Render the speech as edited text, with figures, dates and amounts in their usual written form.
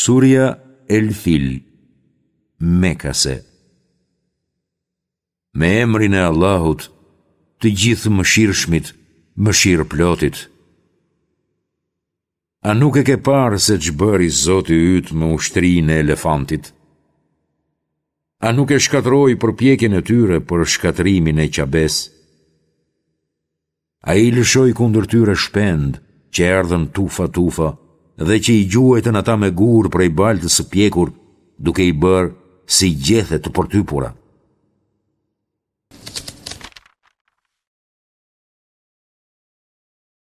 Surja El Fil, Mekase Me emrin e Allahut, të Gjithëmëshirshmit, mëshirëplotit. A nuk e ke parë se ç'bëri Zoti yt me ushtrinë e elefantit? A nuk e shkatërroi përpjekjen e tyre për shkatërrimin e Qabesë? Ai lëshoi kundër tyre shpendë, që erdhën tufa-tufa dhe që i gjuajtën ata me gurë prej baltës së pjekur, duke i bërë si gjethe të përtypura.